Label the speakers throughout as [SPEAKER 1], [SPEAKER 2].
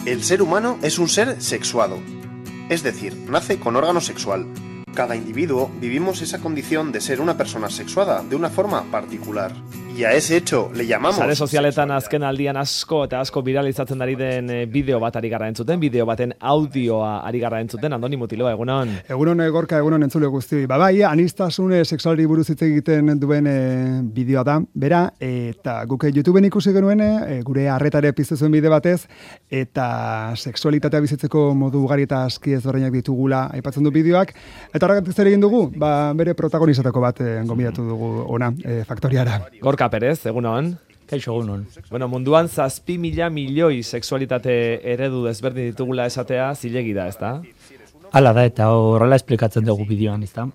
[SPEAKER 1] El ser humano es un ser sexuado, es decir, nace con órgano sexual. Cada individuo vivimos esa condición de ser una persona sexuada de una forma particular. Y a ese hecho le llamamos...
[SPEAKER 2] Sare sozialetan azken aldian asko eta asko viralizatzen ari den bideo bat ari gara entzuten, bideo baten audioa ari gara entzuten, Andoni Mutiloa, egunon.
[SPEAKER 3] Egunon Gorka, egunon entzule guztioi. Bai, anistasun sexualari buruz hitz egiten duen bideoa da, bera, eta guk YouTubeen ikusi genuen, gure arretare piztu zuen bide batez, eta sexualitatea bizitzeko modu ugari eta aski ezberdinak ditugula aipatzen du bideoak, eta horregatik zer egin dugu, bere protagonizatako bat gonbidatu dugu ona, faktoriara.
[SPEAKER 2] Gorka Perez, egunon.
[SPEAKER 4] Kaixo, egunon.
[SPEAKER 2] Bueno, munduan 7.000 milioi sexualitate eredu desberdin ditugula esatea zilegi da, ezta?
[SPEAKER 4] Hala da, eta horrela esplikatzen dugu bideoan, ezta?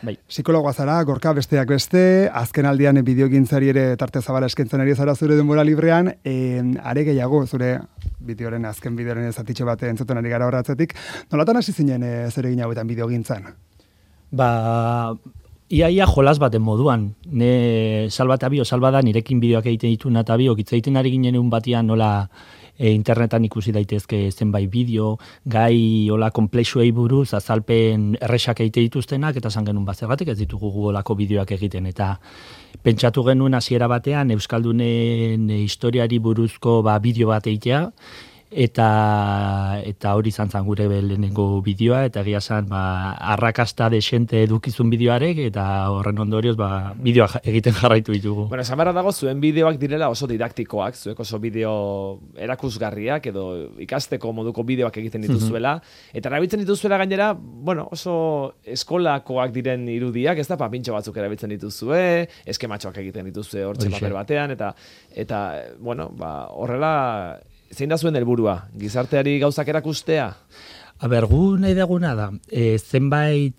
[SPEAKER 4] Bai.
[SPEAKER 3] Psikologoa zara, Gorka, besteak beste, azken aldian bideogintzari ere tarte zabala eskentzen ari zara zure denbora librean, are gehiago zure bideoren, azken bideoren zatitxo bat entzuten ari gara horratzetik. Nolatan hasi zinen zer egin hauetan bideogintzan?
[SPEAKER 4] Iaia jolas baten moduan, ne salbada nirekin bideoak egiten ditu eta biok hitz egiten ari ginen egun batian nola internetan ikusi daitezke zenbait bideo, gai hola komplexuei buruz azalpen erresak egite dituztenak, eta esan genuen bazergatik ez ditugu olako bideoak egiten, eta pentsatu genuen hasiera batean Euskaldunen historiari buruzko bideo bat egitea, eta hori izan zen gure lehenengo bideoa, eta egia zen arrakasta desente edukizun bideoarek, eta horren ondorioz bideoa egiten jarraitu ditugu.
[SPEAKER 2] Bueno, esan beharra dago zuen bideoak direla oso didaktikoak, zuek oso bideo erakusgarriak edo ikasteko moduko bideoak egiten dituzuela, eta erabiltzen dituzuela gainera, bueno, oso eskolakoak diren irudiak, ez da, pintxo batzuk erabiltzen dituzue, eskematxoak egiten dituzue hortxe paper batean, eta bueno, horrela... Zein da zuen helburua? Gizarteari gauzak erakustea?
[SPEAKER 4] Gu nahi deguna da, zenbait,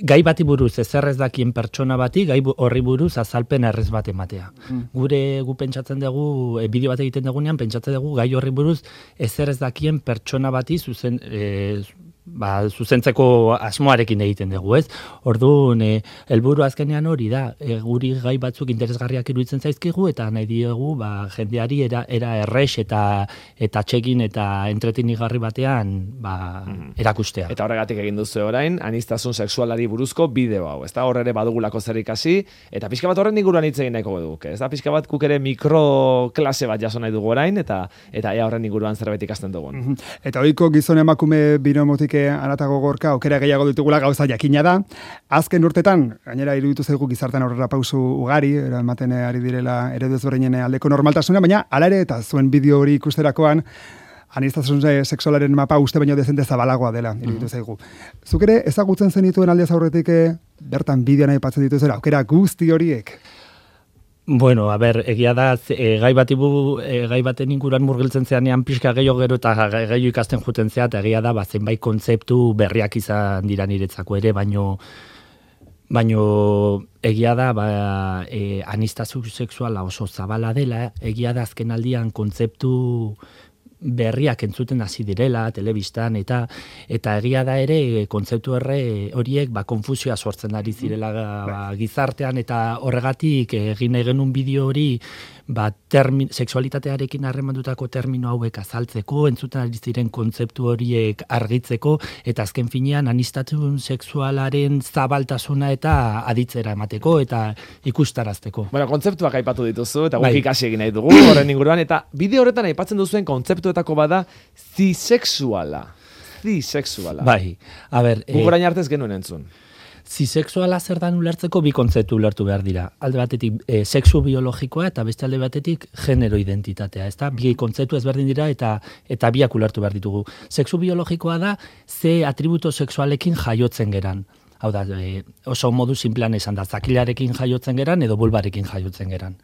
[SPEAKER 4] gai bati buruz ezer ez dakien pertsona bati, gai horri buruz azalpen errez bat ematea. Gu pentsatzen dugu, bideo bat egiten dugunean, pentsatzen dugu gai horri buruz ezer ez dakien pertsona bati zuzentzeko asmoarekin egiten dugu, ez? Orduan, helburu azkenean hori da, guri gai batzuk interesgarriak iruditzen zaizkigu, eta nahi diogu, jendeari era errex eta txekin eta entretenigarri batean erakustea.
[SPEAKER 2] Eta horregatik egin duzu orain, aniztasun sexualari buruzko bideo hau, ezta? Hor ere badugulako zer ikasi, eta pixka bat horren inguruan hitz egin nahiko duke, ezta? Pixka bat guk ere mikroklase bat jaso nahi dugu orain, eta ea horren inguruan zerbait ikasten dugun.
[SPEAKER 3] Eta ohiko gizon emakume binomotik aratago Gorka, aukera gehiago ditugula gauza jakina da. Azken urtetan, gainera iruditu zaigu gizartean aurrera pausu ugari, ematen ari direla eredu ezberdinen aldeko normaltasuna, baina hala ere eta zuen bideo hori ikusterakoan, aniztasun sexualaren mapa uste baino dezente zabalagoa dela, iruditu zaigu. Zuk ere ezagutzen zenituen aldez aurretik bertan bideoan aipatzen dituzera, aukera guzti horiek?
[SPEAKER 4] Bueno, egia da, gai baten inguruan murgiltzen zeanean pixka gehiago gero eta gehiago ikasten juten zea, eta egia da, zenbait kontzeptu berriak izan dira niretzako ere, baino egia da, aniztasun sexuala oso zabala dela, egia da azken aldian kontzeptu berriak entzuten hasi direla, telebistan, eta egia da ere kontzeptu horiek konfusioa sortzen ari zirela gizartean, eta horregatik egin nahi genuen bideo hori sexualitatearekin harremandutako termino hauek azaltzeko, entzuten ari ziren kontzeptu horiek argitzeko, eta azken finean aniztasun sexualaren zabaltasuna eta aditzera emateko, eta ikustarazteko.
[SPEAKER 2] Bueno, kontzeptuak aipatu dituzu, eta guk ikasi egin nahi dugu horren inguruan, eta bideo horretan aipatzen duzuen kontzeptuetako bada zisexuala.
[SPEAKER 4] Bai,
[SPEAKER 2] guk orain artez genuen entzun.
[SPEAKER 4] Zisexuala zer dan ulertzeko bi kontzeptu ulertu behar dira. Alde batetik sexu biologikoa eta beste alde batetik genero identitatea. Ezta? Bi kontzeptu ezberdin dira eta biak ulertu behar ditugu. Sexu biologikoa da ze atributo sexualekin jaiotzen geran. Hau da, oso modu sinplean esan da, zakilarekin jaiotzen geran edo bulbarekin jaiotzen geran.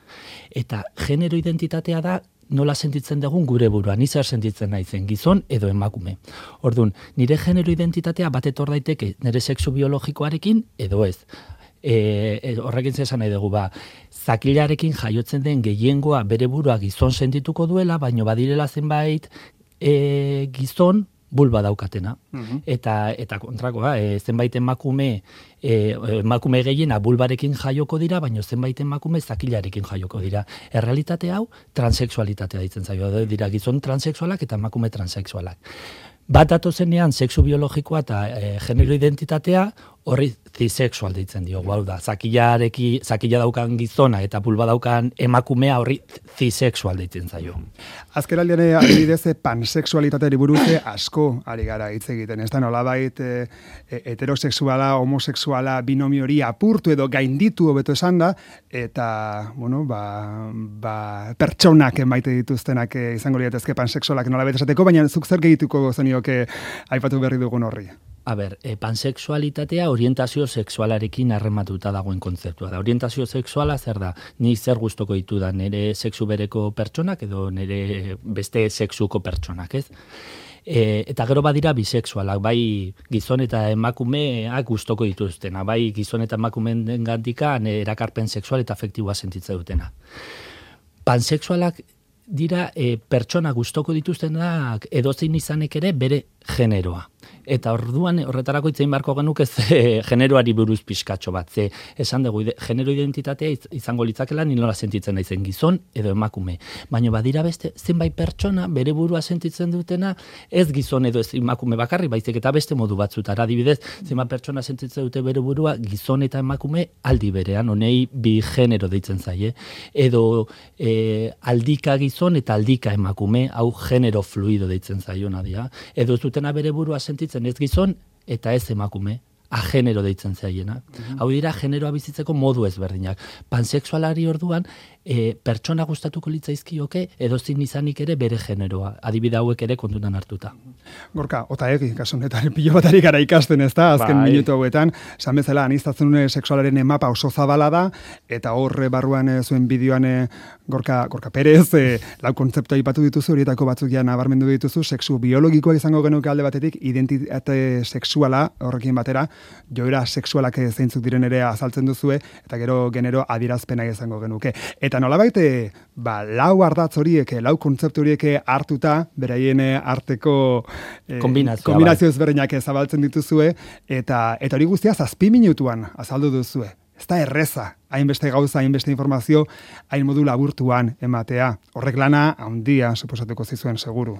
[SPEAKER 4] Eta genero identitatea da nola sentitzen dugun gure burua, ni zer sentitzen naizen, gizon edo emakume. Orduan, nire genero identitatea bat etor daiteke nire sexu biologikoarekin edo ez. Horrekin zesan nahi dugu, zakilarekin jaiotzen den gehiengoa bere burua gizon sentituko duela, baino badirela zenbait gizon bulba daukatena. Eta kontrakoa, zenbait emakume gehiena bulbarekin jaioko dira, baina zenbait emakume zakilarekin jaioko dira. Errealitate hau transexualitatea ditzen zaio, dira gizon transexualak eta emakume transexualak. Bat datozenean sexu biologikoa eta genero identitatea horri zisexual deitzen dio. Hau da, zakila daukan gizona eta bulba daukan emakumea horri zisexual deitzen zaio.
[SPEAKER 3] Azkenaldian adibidez pansexualitateari buruz asko ari gara hitz egiten. Ez da nolabait heterosexuala, homosexuala, binomio hori apurtu edo gainditu hobeto esan da, eta, bueno, pertsonak maite dituztenak izango liratezke pansexualak nolabait esateko, baina zuk zer gehituko zenioke aipatu berri dugun horri?
[SPEAKER 4] A ber, pansexualitatea orientazio sexualarekin harrematuta dagoen kontzeptua da. Orientazio sexuala zer da? Ni zer gustoko ditu da, nire sexu bereko pertsonak edo nire beste sexuko pertsonak, ez? Eta gero badira bisexualak, bai gizon eta emakumeak gustoko dituztena, bai gizon eta emakumeen gandikan erakarpen sexual eta afektiboa sentitzen dutena. Pansexualak dira pertsona gustoko dituztenak edozein izanek ere bere generoa. Eta orduan horretarako itzein beharko genuke generoari buruz pixkatxo bat. Ze esan dugu, genero identitatea izango litzakela ni nola sentitzen naizen gizon edo emakume. Baina badira beste zenbait pertsona bere burua sentitzen dutena ez gizon edo ez emakume bakarri, baizik eta beste modu batzutara. Adibidez, zenbait pertsona sentitzen dute bere burua gizon eta emakume aldi berean, honei bi genero deitzen zaie. Edo aldika gizon eta aldika emakume, hau genero fluido deitzen zaiona dira. Edo ez dutena bere burua sentitzen ez gizon eta ez emakume, agenero deitzen zaiena. Hau dira generoa bizitzeko modu ezberdinak. Pansexualari orduan pertsona gustatuko litzaizkioke edozein izanik ere bere generoa. Adibide hauek ere kontutan hartuta.
[SPEAKER 3] Gorka, Otaegi, kasu honetan pilo batari gara ikasten, ez da, azken minutu hauetan, esan bezala, aniztasun sexualaren mapa oso zabala da, eta horre barruan zuen bideoan Gorka Perez, lau kontzeptua aipatu dituzu, horietako batzuk ja nabarmendu dituzu, sexu biologikoa izango genuke alde batetik, identitate sexuala horrekin batera, joera sexualak zeintzuk diren ere azaltzen duzue, eta gero genero adierazpena izango genuke. Eta nolabait, lau ardatz horiek, lau kontzeptu horiek hartuta, beraien arteko kombinazio ezberdinak zabaltzen dituzue, eta hori guztia 7 minutuan azaldu duzue. Ez da erreza, hainbeste gauza, hainbeste informazio, hain modu laburtuan ematea. Horrek lana handia suposatuko zizuen seguru.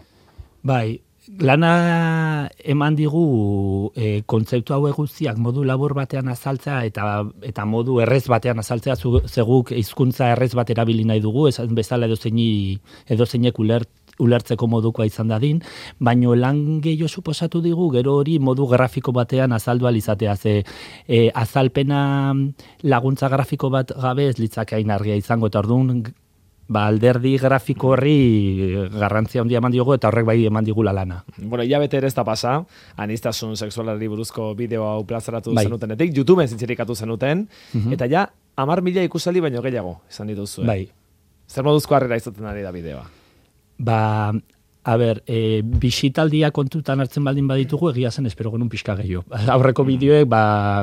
[SPEAKER 4] Bai, lana eman digu kontzeptu hauek guztiak modu labur batean azaltzea eta modu errez batean azaltzea zeguk hizkuntza errez bat erabili nahi dugu, esan bezala edozeinek ulertzeko modukoa izan dadin, baino lan gehiago suposatu digu gero hori modu grafiko batean azaldu alizatea, azalpena laguntza grafiko bat gabe ez litzake hain argia izango, eta orduan alderdi grafiko horri garrantzia handia eman diogu eta horrek bai eman digula lana.
[SPEAKER 2] Bueno, hilabete ere ez da pasa, aniztasun sexualari buruzko bideo hau plazaratu zenutenetik, YouTubeen zintzirikatu zenuten, eta ja 10.000 ikusaldi baino gehiago esan dituzue.
[SPEAKER 4] Bai.
[SPEAKER 2] Zer moduzko harrera izaten ari da bideoa?
[SPEAKER 4] Bisitaldia kontutan hartzen baldin baditugu, egia zen espero genuen pixka gehiago. Aurreko bideoek,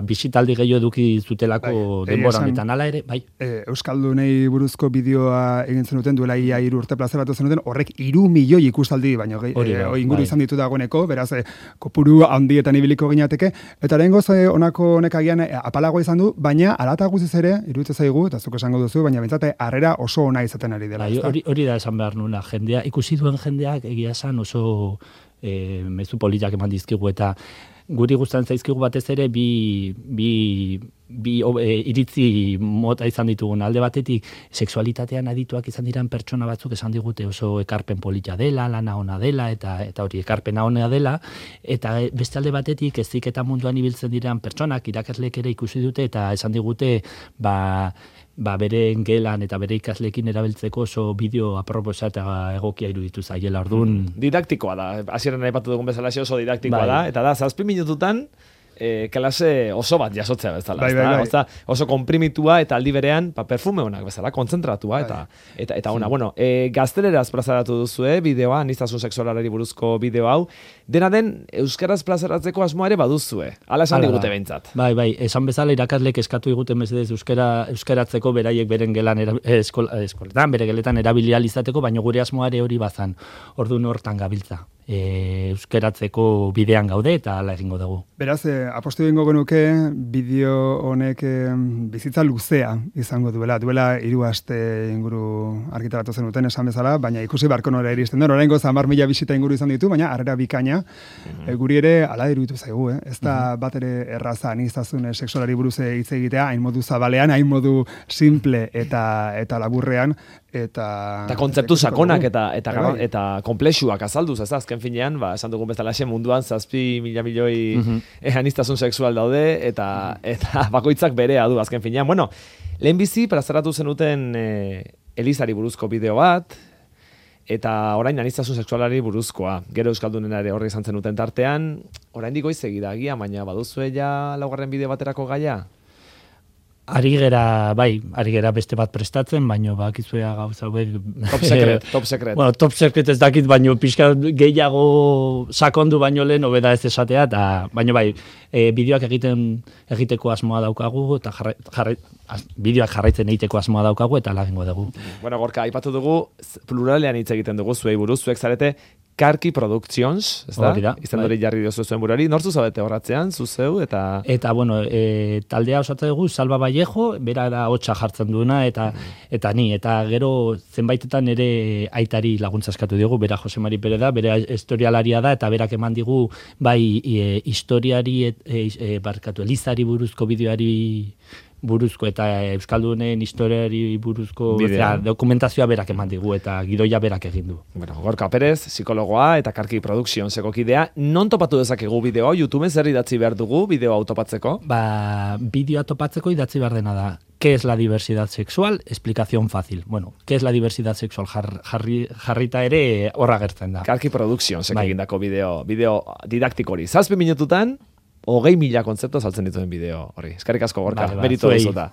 [SPEAKER 4] bisitaldi gehiago eduki zutelako denbora honetan, hala ere, bai.
[SPEAKER 3] Euskaldunei buruzko bideoa egin zenuten, duela ia 3 urte plazaratu zenuten, horrek 3 milioi ikustaldi, baino inguru izan ditu dagoeneko, beraz, kopuru handietan ibiliko ginateke, eta lehengoz honako honek agian apalagoa izan du, baina alata guziz ere, iruditzen zaigu, eta zuk esango duzu, baina bentsate harrera oso ona izaten ari dela.
[SPEAKER 4] Hori da esan behar nuna, jendea, ikusi duen jendeak egia esan oso mezu politak eman dizkigu, eta guri gustan zaizkigu batez ere bi iritzi mota izan ditugun. Alde batetik sexualitatean adituak izan diran pertsona batzuk esan digute oso ekarpen polita dela, lana ona dela eta hori ekarpena ona dela, eta beste alde batetik heziketa munduan ibiltzen diran pertsonak irakasleek ere ikusi dute eta esan digute bere gelan eta bere ikasleekin erabiltzeko oso bideo aproposa eta egokia iruditu zaiela, orduan.
[SPEAKER 2] Didaktikoa da, hasieran aipatu dugun bezala oso didaktikoa da, eta da, 7 minututan klase oso bat jasotzea bezala. Bai. Oso komprimitua eta aldi berean perfume honak bezala, konzentratua eta ona. Bueno, gazteleraz plazaratu duzue bideoa, aniztasun sexualari buruzko bideo hau. Dena den, euskaraz plazaratzeko asmoa ere baduzue. Hala esan digute behintzat.
[SPEAKER 4] Bai, esan bezala irakaslek eskatu digute mesedez euskaratzeko beraiek beren gelan eskoletan, bere geletan erabilial izateko, baina gure asmoa ere hori bazan. Orduan hortan gabiltza. euskeratzeko bidean gaude eta hala egingo dugu.
[SPEAKER 3] Beraz, apostu egingo genuke bideo honek bizitza luzea izango duela 3 aste inguru argitaratu zenuten esan bezala, baina ikusi barko nora iristen den, oraingo 10.000 bisita inguru izan ditu, baina harrera bikaina, guri ere hala iruditu zaigu, ez da bat ere erraza aniztasun sexualari buruz hitz egitea, hain modu zabalean, hain modu simple eta laburrean, eta
[SPEAKER 2] kontzeptu sakonak eta konplexuak azalduz, ez da, azken finean, esan dugun bezalaxe munduan 7.000 milioi aniztasun sexual daude, eta bakoitzak berea du azken finean. Bueno, lehenbizi plazaratu zenuten Elizari buruzko bideo bat, eta orain aniztasun sexualari buruzkoa. Gero Euskaldunena ere horri izan zenuten tartean, oraindik goizegi da agia, baina baduzue ja laugarren bideo baterako gaia?
[SPEAKER 4] Ari gera beste bat prestatzen, baino bakizuea gauza hauek...
[SPEAKER 2] Top secret.
[SPEAKER 4] Bueno, top secret ez dakit, baino pixka gehiago sakondu baino lehen hobeda ez esatea, baino bideoak egiteko asmoa daukagu, eta bideoak jarraitzen egiteko asmoa daukagu, eta lagingo dugu.
[SPEAKER 2] Bueno, Gorka, aipatu dugu, pluralean hitz egiten dugu, zuei buruz, zuek zarete, Karki Productions, ez da? Izan dori jarri diozu zuen burari. Nortzu zabete horratzean, zuzeu, eta...
[SPEAKER 4] Eta, bueno, taldea osatzen dugu, Salva Vallejo, bera da hotxa jartzen duena, eta ni, eta gero zenbaitetan ere aitari laguntza eskatu diogu, bera Jose Mari Pere da, bera historialaria da, eta berak eman digu, historiari, Elizari buruzko bideoari buruzko eta Euskaldunen historiari buruzko dokumentazioa berak eman digu eta gidoia berak egin du.
[SPEAKER 2] Bueno, Gorka Perez, psikologoa eta Karki Productionseko kidea, non topatu dezakegu bideoa? YouTubeen zer idatzi behar dugu bideoa topatzeko?
[SPEAKER 4] Bideoa topatzeko idatzi behar dena da. ¿Qué es la diversidad sexual? Explicación fácil. Bueno, ¿qué es la diversidad sexual? Jarrita ere horra gertzen da.
[SPEAKER 2] Karki Productionsek egindako bideo didaktik hori. 7 minututan 20.000 kontzeptu saltzen dituen bideo hori. Eskerrik asko, Gorka, meritu dizota.